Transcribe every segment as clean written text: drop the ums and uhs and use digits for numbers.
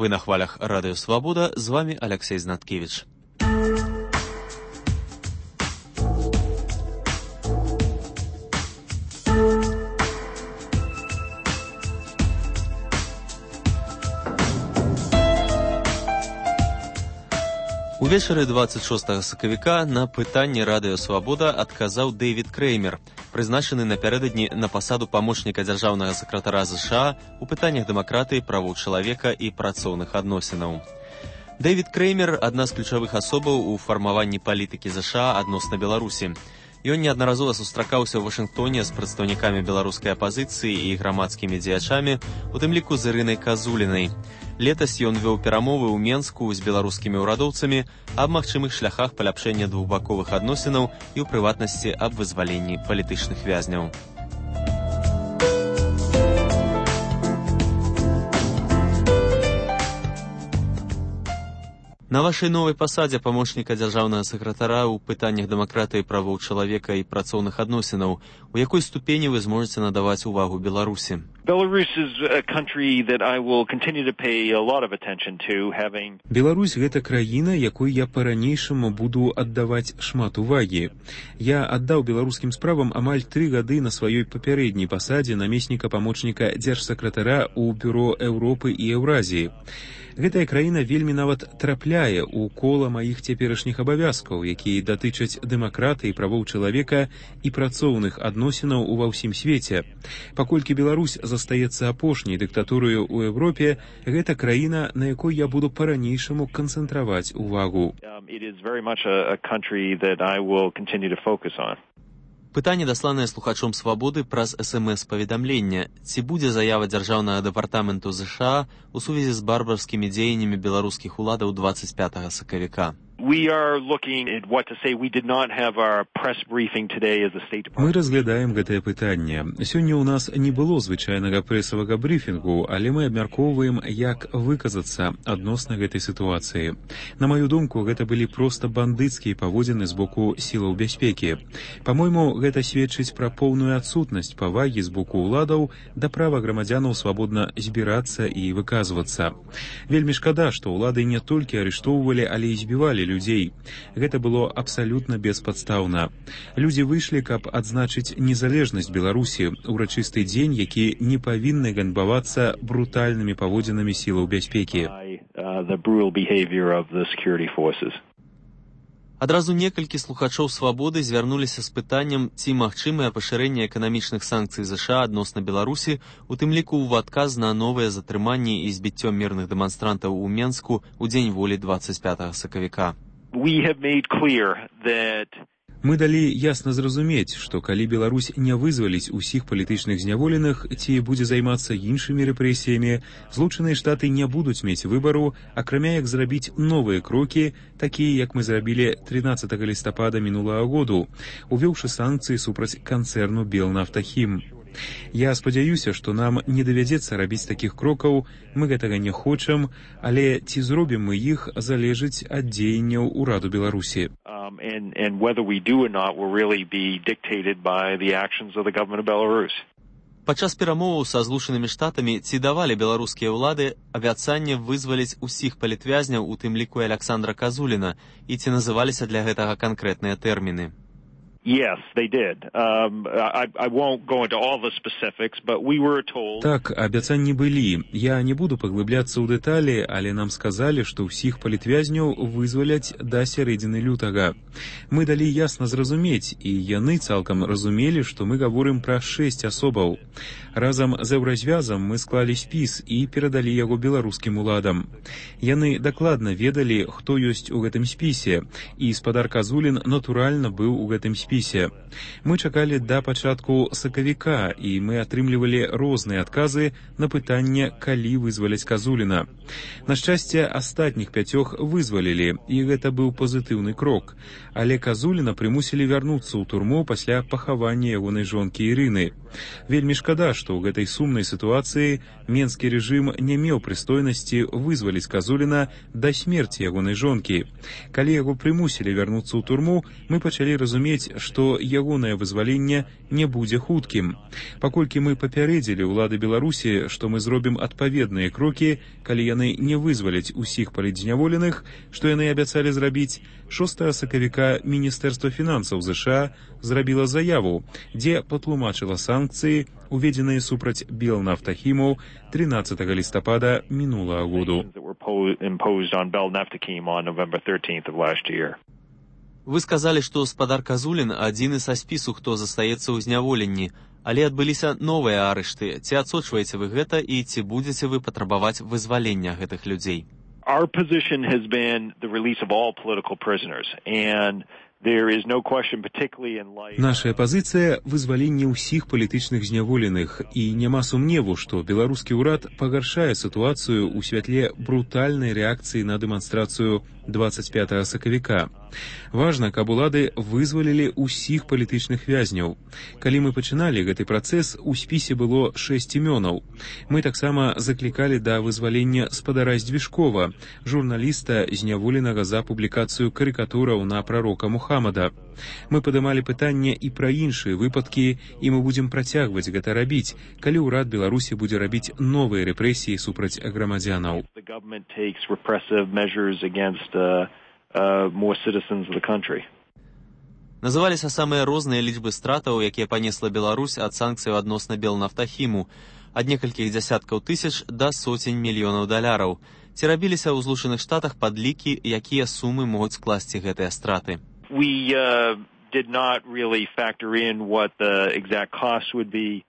Вы на хвалях Радио Свобода, з вами Алексей Знаткевич. Увечары 26 сакавіка на пытанне Радыё Свабода адказаў Дэвід Крэймер, прызначаны напярэдадні на пасаду памочніка дзяржаўнага сакратара ЗША у пытаннях дэмакратыі, правоў чалавека і працоўных адносінаў. Дэвід Крэймер – адна з ключавых асобаў у фармаванні палітыкі ЗША адносна Беларусі. Ён неаднаразова сустракаўся ў Вашынгтоне з прадстаўнікамі беларускай апазіцыі і грамадскімі дзеячамі, у тым ліку з Ірынай Казулінай. Летась ён вёў перамовы ў Менску з беларускімі ўрадоўцамі аб магчымых шляхах паляпшэння двухбаковых адносінаў і, у прыватнасці, аб вызваленні палітычных вязняў. На вашай новай пасадзе памочніка дзяржаўнага сакратара ў пытаннях дэмакратыі, правоў чалавека і працоўных адносінаў, у якой ступені вы зможаце надаваць увагу Беларусі? Беларусь – гэта краіна, якой я па-ранейшаму буду аддаваць шмат увагі. Я аддаў беларускім справам амаль 3 гады на сваёй папярэдняй пасадзе намесніка памочніка дзяржсакратара ў Бюро Еўропы і Еўразіі. Гэтая краіна вельмі нават трапляе ў кола маіх цяперашніх абавязкаў, якія датычаць дэмакратыі, правоў чалавека і працоўных адносінаў ува ўсім свеце. Паколькі Беларусь застаецца апошняй дыктатурою ў Еўропе, гэта краіна, на якой я буду па-ранейшаму канцэнтраваць увагу. Пытанне, дасланае слухачом Свабоды праз СМС-паведамлення. Ці будзе заява дзяржаўнага дэпартаменту ЗША у сувязі з барбарскімі дзеяннямі беларускіх уладаў 25 сакавіка? Мы разглядаем гэтае пытанне. Сёння ў нас не было звычайнага прэсавага брыфінгу, але мы абмяркоўваем, як выказацца адносна гэтай сітуацыі. На маю думку, гэта былі проста бандыцкія паводзіны з боку сілаў бяспекі. Па-мойму, гэта сведчыць пра поўную адсутнасць павагі з боку ўладаў да права грамадзянаў свабодна збірацца і выказвацца. Вельмі шкада, што ўлады не толькі арыштоўвалі, але і збівалі людзей. Гэта было абсалютна беспадстаўна. Людзі выйшлі, каб адзначыць незалежнасць Беларусі, урачысты дзень, які не павінны ганьбавацца брутальнымі паводзінамі сілаў бяспекі. Адразу некалькі слухачоў Свабоды звярнуліся з пытаннем, ці магчымае пашырэнне эканамічных санкцый ЗША адносна Беларусі, у тым ліку ў адказ на новыя затрыманні і збіццё мірных дэманстрантаў у Менску ў дзень волі 25 сакавіка. Мы далі ясна зразумець, што калі Беларусь не вызваліць усіх палітычных зняволеных ці будзе займацца іншымі рэпрэсіямі, Злучаныя Штаты не будуць мець выбару, акрамя як зрабіць новыя крокі, такія, як мы зрабілі 13 лістапада мінулага году, увёўшы санкцыі супраць канцэрну Белнафтахім. Я спадзяюся, што нам не давядзецца рабіць такіх крокаў, мы гэтага не хочам, але ці зробім мы іх, залежыць ад дзеянняў ураду Беларусі. Падчас перамоваў са Злучанымі Штатамі ці давалі беларускія ўлады абяцанне вызваліць усіх палітвязняў, у тым ліку і Аляксандра Казуліна, і ці называліся для гэтага канкрэтныя тэрміны? Так, абяцанні былі. Я не буду паглыбляцца ў дэталі, але нам сказалі, што ўсіх палітвязняў вызваляць да сярэдзіны лютага. Мы далі ясна зразумець, і яны цалкам разумелі, што мы гаворым пра 6 асобаў. Разам з Еўразвязам мы склалі спіс і перадалі яго беларускім уладам. Яны дакладна ведалі, хто ёсць у гэтым спісе, і спадар Казулін натуральна быў у гэтым спісе. Мы чакалі да пачатку сакавіка, і мы атрымлівалі розныя адказы на пытанне, калі вызваляць Казуліна. На шчасце, астатніх 5 вызвалілі, і гэта быў пазітыўны крок. Але Казуліна прымусілі вярнуцца ў турму пасля пахавання ягонай жонкі Ірыны. Вельмі шкада, што ў гэтай сумнай сітуацыі менскі рэжым не меў прыстойнасці вызваліць Казуліна да смерці ягонай жонкі. Калі яго прымусілі вярнуцца ў турму, мы пачалі разумець, што ягонае вызваленне не будзе хуткім. Паколькі мы папярэдзілі ўлады Беларусі, што мы зробім адпаведныя крокі, калі яны не вызваляць усіх палітзняволеных, што яны абяцалі зрабіць, 6 сакавіка Міністэрства фінансаў ЗША зрабіла заяву, дзе патлумачыла санкцыі, уведзеныя супраць Белнафтахіму 13 лістапада мінулага году. Вы сказалі, што спадар Казулін адзіны са спісу, хто застаецца ў зняволенні, але адбыліся новыя арышты. Ці адсочваеце вы гэта і ці будзеце вы патрабаваць вызвалення гэтых людзей? Our position has been the release of all political prisoners, and there is no question, particularly in light... Нашая пазіцыя – вызваленне ўсіх палітычных зняволеных, і няма сумневу, што беларускі ўрад пагаршае сітуацыю ў святле брутальнай рэакцыі на дэманстрацыю 25 сакавіка. Важна, каб улады вызвалілі ўсіх палітычных вязняў. Калі мы пачыналі гэты працэс, у спісе было 6 імёнаў. Мы таксама заклікалі да вызвалення спадара Здвижкова, журналіста, зняволенага за публікацыю карыкатураў на прарока Мухаммада. Мы падымалі пытанне і пра іншыя выпадкі, і мы будзем працягваць гэта рабіць, калі ўрад Беларусі будзе рабіць новыя рэпрэсіі супраць грамадзянаў. Называліся самыя розныя лічбы стратаў, якія панесла Беларусь ад санкцыяў адносна Белнафтахіму, ад некалькіх дзясяткаў тысяч да сотень мільёнаў даляраў. Ці рабіліся ў Злучаных Штатах падлікі, якія сумы могуць скласці гэтыя страты? We did not really factor in what the exact cost would be.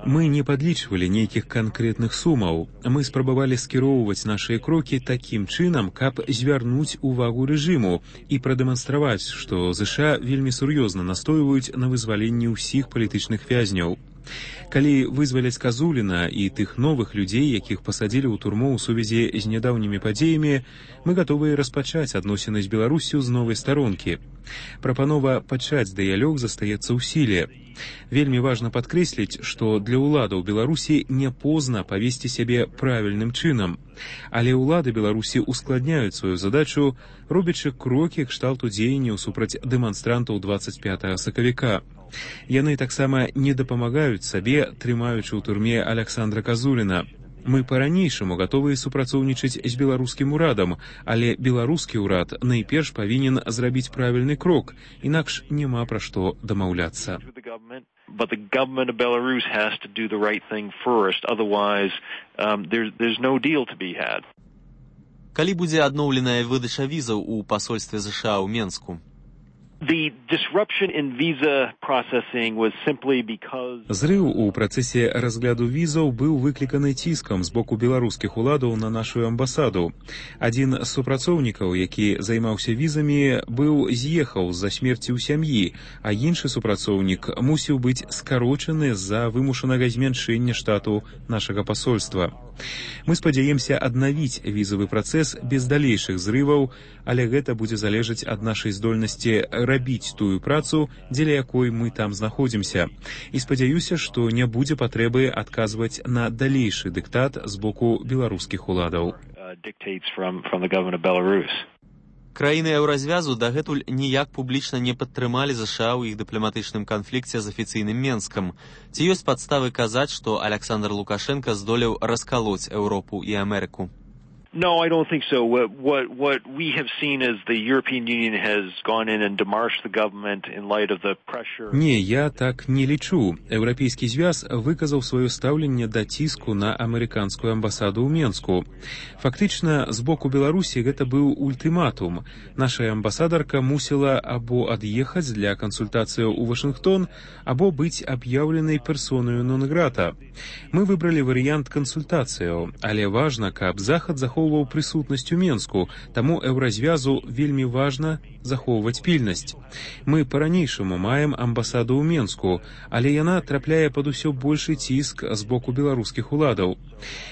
Мы не падлічвалі нейкіх канкрэтных сумаў. Мы спрабавалі скіроўваць нашыя крокі такім чынам, каб звярнуць увагу рэжыму і прадэманстраваць, што ЗША вельмі сур'ёзна настойваюць на вызваленні ўсіх палітычных вязняў. Калі вызваляць Казуліна і тых новых людзей, якіх пасадзілі ў турму ў сувязі з нядаўнімі падзеямі, мы гатовыя распачаць адносіны з Беларуссю з новай старонкі. Прапанова пачаць дыялог застаецца ў сіле. Вельмі важна падкрэсліць, што для ўладаў Беларусі не позна павесці сябе правільным чынам. Але ўлады Беларусі ускладняюць сваю задачу, робячы крокі кшталту дзеянняў супраць дэманстрантаў 25 сакавіка. Яны таксама не дапамагаюць сабе, трымаючы ў турме Аляксандра Казуліна. Мы па-ранейшаму гатовыя супрацоўнічаць з беларускім урадам, але беларускі ўрад найперш павінен зрабіць правільны крок, інакш няма пра што дамаўляцца. But the government of Belarus has to do the right thing first, otherwise there's no deal to be had. Калі будзе адноўленая выдача візаў у пасольстве ЗША ў Менску? Зрыў у працэсе разгляду візаў быў выкліканы ціскам з боку беларускіх уладаў на нашу амбасаду. Адзін з супрацоўнікаў, які займаўся візамі, быў з'ехаў з-за смерці ў сям'і, а іншы супрацоўнік мусіў быць скарочаны з-за вымушанага змяншэння штату нашага пасольства. Мы спадзяемся аднавіць візавы працэс без далейшых зрываў, але гэта будзе залежаць ад нашай здольнасці рабіць тую працу, дзеля якой мы там знаходзімся. І спадзяюся, што не будзе патрэбы адказваць на далейшы дыктат з боку беларускіх уладаў. Краіны еўразвязу дагэтуль ніяк публічна не падтрымалі ЗША ў іх дыпламатычным канфлікце з афіцыйным Менскам. Ці ёсць падставы казаць, што Аляксандр Лукашенка здолеў раскалоць Еўропу і Амерыку? No, I don't think so. What we have seen is the European Union has gone in and demarched the government in light of the pressure. Не, я так не лічу. Еўрапейскі звяз выказаў сваё стаўленне да ціску на амерыканскую амбасаду ў Менску. Фактычна, з боку Беларусі гэта быў ультыматум. Наша амбасадарка мусіла або ад'ехаць для кансультацыяў у Вашынгтон, або быць аб'яўленай персонаю нон-грата. Мы выбралі варыянт кансультацыяў, але важна, каб Захад захоўваў прысутнасць у Менску, таму еўразвязу вельмі важна захоўваць пільнасць. Мы па-ранейшаму маем амбасаду ў Менску, але яна трапляе пад усё большы ціск з боку беларускіх уладаў.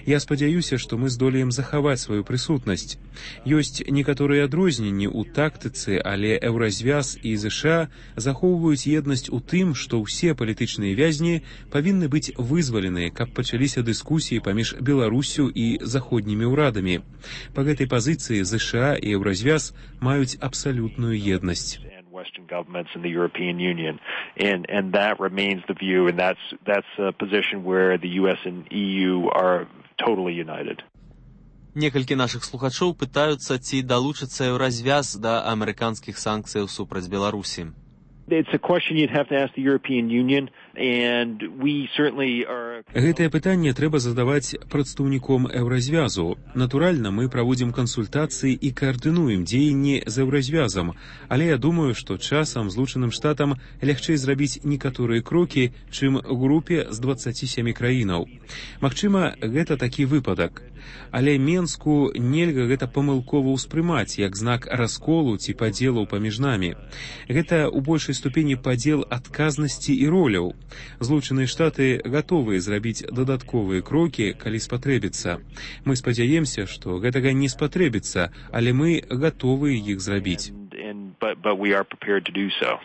Я спадзяюся, што мы здолеем захаваць сваю прысутнасць. Ёсць некаторыя адрозненні ў тактыцы, але еўразвяз і ЗША захоўваюць еднасць у тым, што ўсе палітычныя вязні павінны быць вызвалены, каб пачаліся дыскусіі паміж Беларуссю і заходнімі ўрадамі. Па гэтай пазіцыі ЗША і еўразвяз маюць абсалютную еднасць. Western governments in the European Union, and that remains the view, and that's a position where the U.S. and EU are totally united. Некалькі нашых слухачоў пытаюцца, ці далучыцца еўразвяз да амерыканскіх санкцыяў супраць Беларусі. It's a question you'd have to ask the European Union, and we certainly are... Гэтае пытанне трэба задаваць прадстаўніком еўразвязу. Натуральна, мы праводзім кансультацыі і каардынуем дзеянні з еўразвязам, але я думаю, што часам Злучаным Штатам лягчэй зрабіць некаторыя крокі, чым групе з 27 краінаў. Магчыма, гэта такі выпадак. Але Менску нельга гэта памылкова ўспрымаць як знак расколу ці падзелаў паміж намі. Гэта ў большай ступені падзел адказнасці і роляў. Злучаныя Штаты гатовыя зрабіць дадатковыя крокі, калі спатрэбіцца. Мы спадзяемся, што гэтага не спатрэбіцца, але мы гатовыя іх зрабіць. But we are prepared to do so.